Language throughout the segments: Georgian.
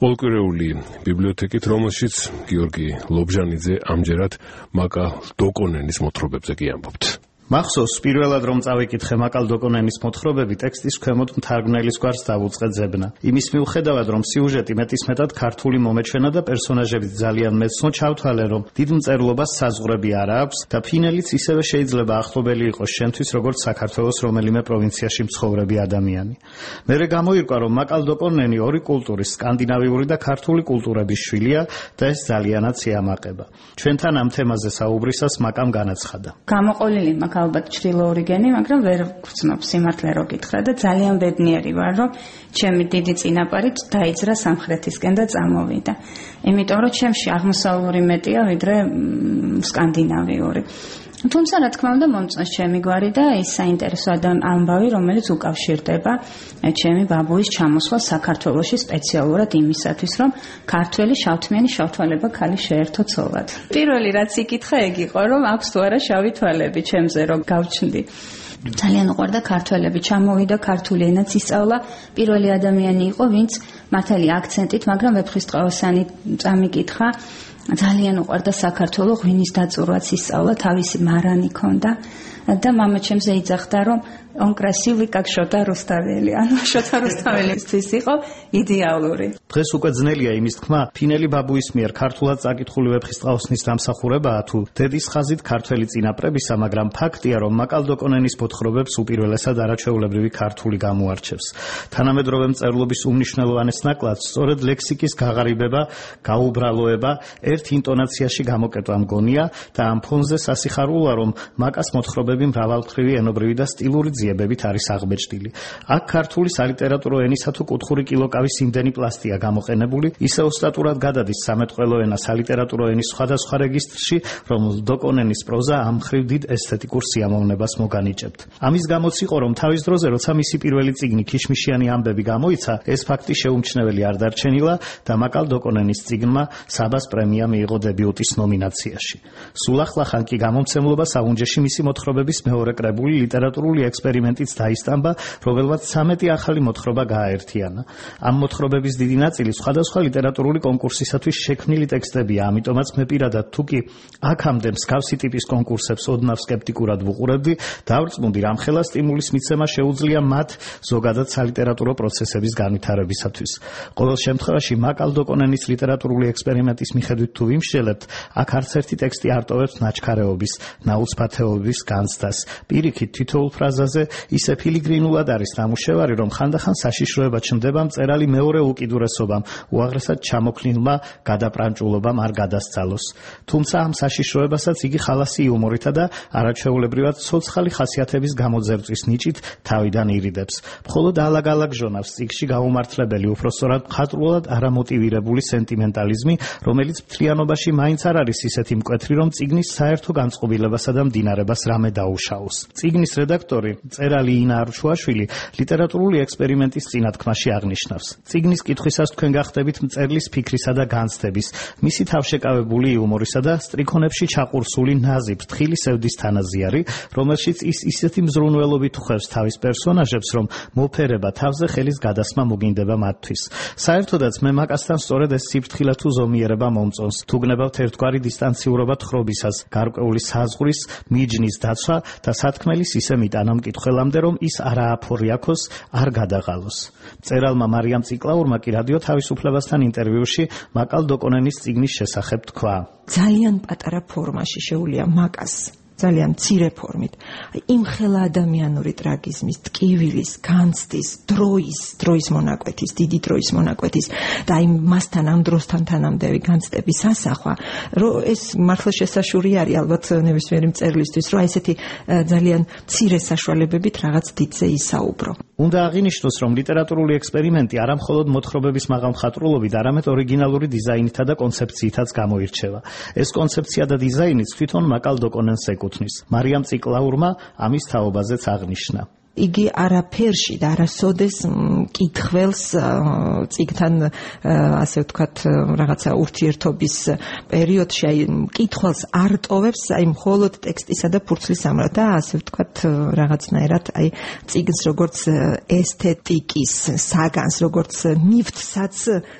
ყოველკვირეული ბიბლიოთეკით, რომელშიც გიორგი ლობჟანიძე ამჯერად მაკალ დოკონენის მოთხრობებზე კი ამბობთ. მახსოვს პირველად რომ წავიკითხე მაკალ დოკონენის მოთხრობები, ტექსტის ქვემოთ მთარგმნელის გვარს დავუწყე ძებნა. იმის მიუხედავად რომ სიუჟეტი მეტისმეტად ქართული მომეჩვენა და პერსონაჟები ძალიან მეცნო, ჩავთვალე რომ დიდ მწერლობას საზღვრები არ აქვს და ფინელიც ისევე შეიძლება ახლობელი იყოს შენთვის როგორც საქართველოს რომელიმე პროვინციაში მცხოვრები ადამიანი. მერე გამოირკვა რომ მაკალ დოკონენი ორი კულტურის, სკანდინავიური და ქართული კულტურების შვილია და ეს ძალიანაც ეამაყება. ჩვენთან ამ თემაზე საუბრისას მაკამ განაცხადა. გამოყოლილი ალბათ ჩრდილო ორიგენი, მაგრამ ვერ ვგრძნობ სიმართლე რო გითხრა და ძალიან ბედნიერი ვარ, რომ ჩემი დიდი წინაპარით დაიძრა სამხრეთისკენ და წამოვიდა. იმიტომ რომ ჩემში აღმოსავლური მეტია ვიდრე სკანდინავიური. თუმცა რა თქმა უნდა მომწონს ჩემი გვარი და ის საინტერესო ამბავი, რომელიც უკავშირდება ჩემი ბაბუის ჩამოსვლა საქართველოში სპეციალურად იმისათვის, რომ ქართველი შავთმიანი შავთვალება ქალი შეერთო ცოლად. პირველი რაც იკითხა ეგ იყო, რომ აქვს თუ არა შავი თვალები ჩემზე, რომ გავჩნდი. ძალიან უყვარდა ქართველები, ჩამოვიდა ქართული ენაც ისწავლა. პირველი ადამიანი იყო, ვინც მართალი აქცენტით, მაგრამ ვეფხისტყაოსანი წამიკითხა. ძალიან უყვარდა საქართველო, ღვინის დაწურვაც ისწავლა, თავისი მარანი ჰქონდა და მამა ჩემზე იძახდა, რომ он красивый как Шоთა რუსთაველი. ანუ შოთა რუსთაველისთვის იყო იდეალური. დღეს უკვე ძნელია იმის თქმა, ფინელი ბაბუის მიერ ქართულად წაკითხული ვეფხისტყაოსნის დამსახურებაა თუ დედის ხაზით ქართველი წინაპრებისა, მაგრამ ფაქტია, რომ მაკალ დოკონენის მოთხრობებს უპირველესად არაჩვეულებრივი ქართული გამოარჩევს. თანამედროვე მწერლობის უმნიშვნელოვანეს ნაკლადს სწორედ ლექსიკის გაღარიბება, გაუბრალოება, ერთ ინტონაციაში გამოკეტვა მგონია და ამ ფონზე სასიხარულოა, რომ მაკას მოთხრობები მრავალმხრივი ენობრივი და სტილური ძიებებით არის აღბეჭდილი. აქ ქართული სალიტერატურო ენისა თუ კუთხური კილოკავის იმდენი პლასტია გამოყენებული, ისე ოსტატურად გადადის სამეთყველო ენა სალიტერატურო ენის სხვადასხვა რეგისტრში, რომ დოკონენის პროზა ამ მხრივ დიდ ესთეტიკურ სიამოვნებას მოგანიჭებთ. ამის გამოც იყო, რომ თავის დროზე, როცა მისი პირველი წიგნი ქიშმიშიანი ამბები გამოიცა, ეს ფაქტი შეუმჩნეველი არ დარჩენილა და მაკალ დოკონენის წიგნმა საბას პრემია მიიღო დებიუტის ნომინაციაში. სულ ახლახან კი გამომცემლობა საუნჯეში მისი მოთხრობების მეორე კრებული ლიტერატურული ექსპერიმენტიც დაისტამბა, რომელმაც 13 ახალი მოთხრობა გააერთიანა. ამ მოთხრობების დიდი ნაწილი სხვადასხვა ლიტერატურული კონკურსისათვის შექმნილი ტექსტებია, ამიტომაც მე პირადად თუ კი აქამდე მსგავსი ტიპის კონკურსებს ოდნავ სკეპტიკურად ვუყურებდი, დავრწმუნდი, რამხელა სტიმულის მიცემა შეუძლია მათ ზოგადად სალიტერატურო პროცესების განვითარებისათვის. ყოველ შემთხვევაში მაკალ დოკონენის ლიტერატურული ექსპერიმენტის მიხედვით თუ ვიმსჯელებთ, აქ არც ერთი ტექსტი არ ტოვებს ნაჩქარეობის, ნაუცბათეობის განცდას. პირიქით თითოეულ ფრაზაზე ისე ფილიგრინულად არის ნამუშევარი, რომ ხანდახან საშიშროება ჩნდება მწერალი მეორე უკიდურესობამ, უაღრესად ჩამოქლილმა გადაპრანჭულობამ არ გადასცალოს. თუმცა ამ საშიშროებასაც იგი ხალასი იუმორითა და არაჩვეულებრივად ცოცხალი ხასიათების გამოძერწვის ნიჭით თავიდან ირიდებს. მხოლოდ ალაგ-ალაგ ჟონავს წიგნში გაუმართლებელი, უпроსწორად მხატვრულად არამოტივირებული სენტიმენტალიზმი, რომელიც მთლიანობაში მაინც არ არის ისეთი მკვეთრი, რომ წიგნის საერთო განწყობილებასა და მდინარებას რამე დაუშაოს. წიგნის რედაქტორი, მწერალი ინა არჩუაშვილი ლიტერატურული ექსპერიმენტის წინათქმაში აღნიშნავს. წიგნის კითხვისას თქვენ გახდებით მწერლის ფიქრისა და განცდების, მისი თავშეკავებული იუმორისა და სტრიქონებში ჩაყურსული ნაზი ფრთხილი სევდის თანაზიარი, რომელშიც ის ისეთი მზრუნველობით ხვევს თავის პერსონაჟებს, რომ მოფერება თავზე ხელის გადასმა მოგინდება მათთვის. საერთოდაც მე მაკასთან სწორედ ეს სიფრთხილე თუ ზომიერება მომწონს. თუ გნებავთ ერთგვარი დისტანციურობა თხრობისას, გარკვეული საზღვრის, მიჯნის დაცვა და სათქმელის ისე მიტანა მკითხველამდე, რომ ის არა აფორიაქოს, არ გადაღალოს. მწერალმა მარიამ ციკლაურმა კი რადიო თავისუფლებასთან ინტერვიუში მაკალ დოკონენის წიგნის შესახებ თქვა. ძალიან პატარა ფორმაში შეუძლია მაკას ძალიან მცირე ფორმით. იმ ხელა ადამიანური ტრაგიზმის, ტკივილის, განცდის, დროის მონაკვეთის, დიდი დროის მონაკვეთის და იმ მასთან ამ დროსთან თანამდევი განცდების ასახვა, რომ ეს მართლა შესაშური არის ალბათ ნებისმიერი მწერლისთვის, რომ ესეთი ძალიან მცირე საშუალებებით რაღაც დიდზე ისაუბრო. უნდა აღინიშნოს, რომ ლიტერატურული ექსპერიმენტი არა მხოლოდ მოთხრობების მაღალმხატვრულობით, არამედ ორიგინალური დიზაინითა და კონცეფციითაც გამოირჩევა. ეს კონცეფცია და დიზაინიც თვითონ მაკალ დოკონენს ეკუთვნის. მარიამ ციკლაურმა ამის თაობაზეც აღნიშნა. იგი არაფერში და არასოდეს კითხველს წიგნთან ასე ვთქვათ რაღაცა ურთიერთობის პერიოდში აი კითხველს არ ტოვებს აი მხოლოდ ტექსტისა და ფურცლის ამრად და ასე ვთქვათ რაღაცნაირად აი წიგნს როგორც ესთეტიკის საგანს როგორც ნივთსაც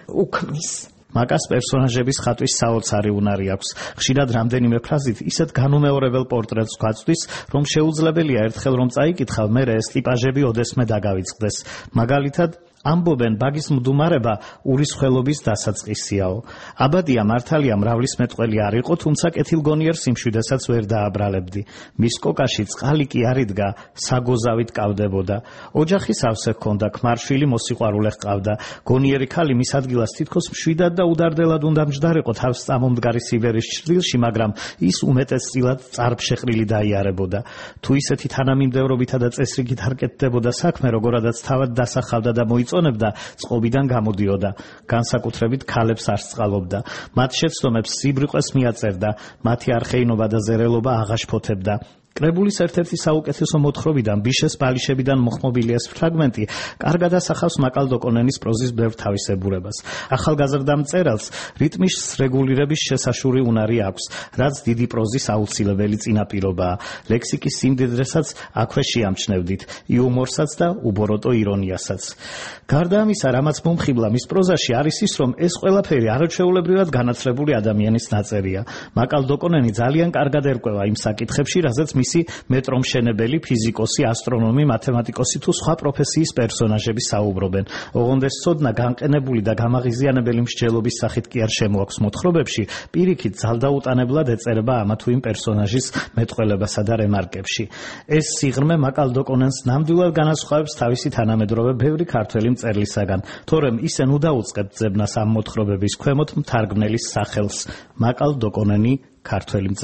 უქმნის. მაკას პერსონაჟების ხატვის საოცარი უნარი აქვს. ხშირად რამდენიმე ფრაზით ისეთ განუმეორებელ პორტრეტს გვაწვდის, რომ შეუძლებელია ერთხელ რომ წაიკითხავ, მერე ეს ტიპაჟები ოდესმე დაგავიწყდეს. მაგალითად ამბობენ ბაგის მდუმარება ურისხველობის დასაწყისიაო. აბადია მართალია მრავლის მეტყველი არ იყო, თუმცა კეთილგონიერ სიმშვიდესაც ვერ დააბრალებდი. მის კოკაში წყალი კი არ იდგა, საგოზავით კავდებოდა. ოჯახი სავსე ჰქონდა, ქმარშვილი მოსიყვარულე ჰყავდა. გონიერი ქალი მის ადგილას თითქოს მშვიდად და უდარდელად უნდა მჯდარიყო თავს წამომდგარი სიბერის ჭრილში, მაგრამ ის უმეტესწილად წარფშეყრილი დაიარებოდა. თუ ისეთი თანამიმდევრობითა და წესრიგით არ კეთდებოდა საქმე, როგორადაც თავად დასახავდა და წონებდა, წყობიდან გამოდიოდა. განსაკუთრებით ქალებს არ სწყალობდა. მათ შეცდომებს სიბრიყვეს მიაწერდა, მათი არხეინობა და ზერელობა აღაშფოთებდა. კრებულის ერთ-ერთი საუკეთესო მოთხრობიდან ბიშეს ბალიშებიდან მოხმობილი ეს ფრაგმენტი კარგად ასახავს მაკალდოკონენის პროზის ბევრ თავისებურებას. ახალგაზრდა მწერალს რიტმის რეგულირების შესაშური უნარი აქვს, რაც დიდი პროზის აუცილებელი წინაპირობაა. ლექსიკის სიმდიდრესაც აქვე შეამჩნევდით, იუმორსაც და უბოროტო ირონიასაც. გარდა ამისა, რამაც მომხიბლა მის პროზაში არის ის, რომ ეს ყველაფერი არაჩვეულებრივად განათლებული ადამიანის ნაწერია. მაკალდოკონენი ძალიან კარგად ერკვევა იმ საკითხებში, რაზეც მისი მეტრომშენებელი, ფიზიკოსი, ასტრონომი, მათემატიკოსი თუ სხვა პროფესიის პერსონაჟები საუბრობენ. ოღონდ ეს ცოდნა განყენებული და გამაღიზიანებელი მსჯელობის სახით კი არ შემოაქვს მოთხრობებში, პირიქით ძალდაუტანებლად ეწერება ამა თუ იმ პერსონაჟის მეტყველებასა და რემარკებში. ეს სიღრმე მაკალდოკონენს ნამდვილად განასხვავებს თავისი თანამედროვე ბევრი ქართველი მწერლისაგან, თორემ ისე ნუ დაუწყებთ ძებნას ამ მოთხრობების ქვემოთ მთარგმნელის სახელს. მაკალდოკონენი, ქართველი მწერალი.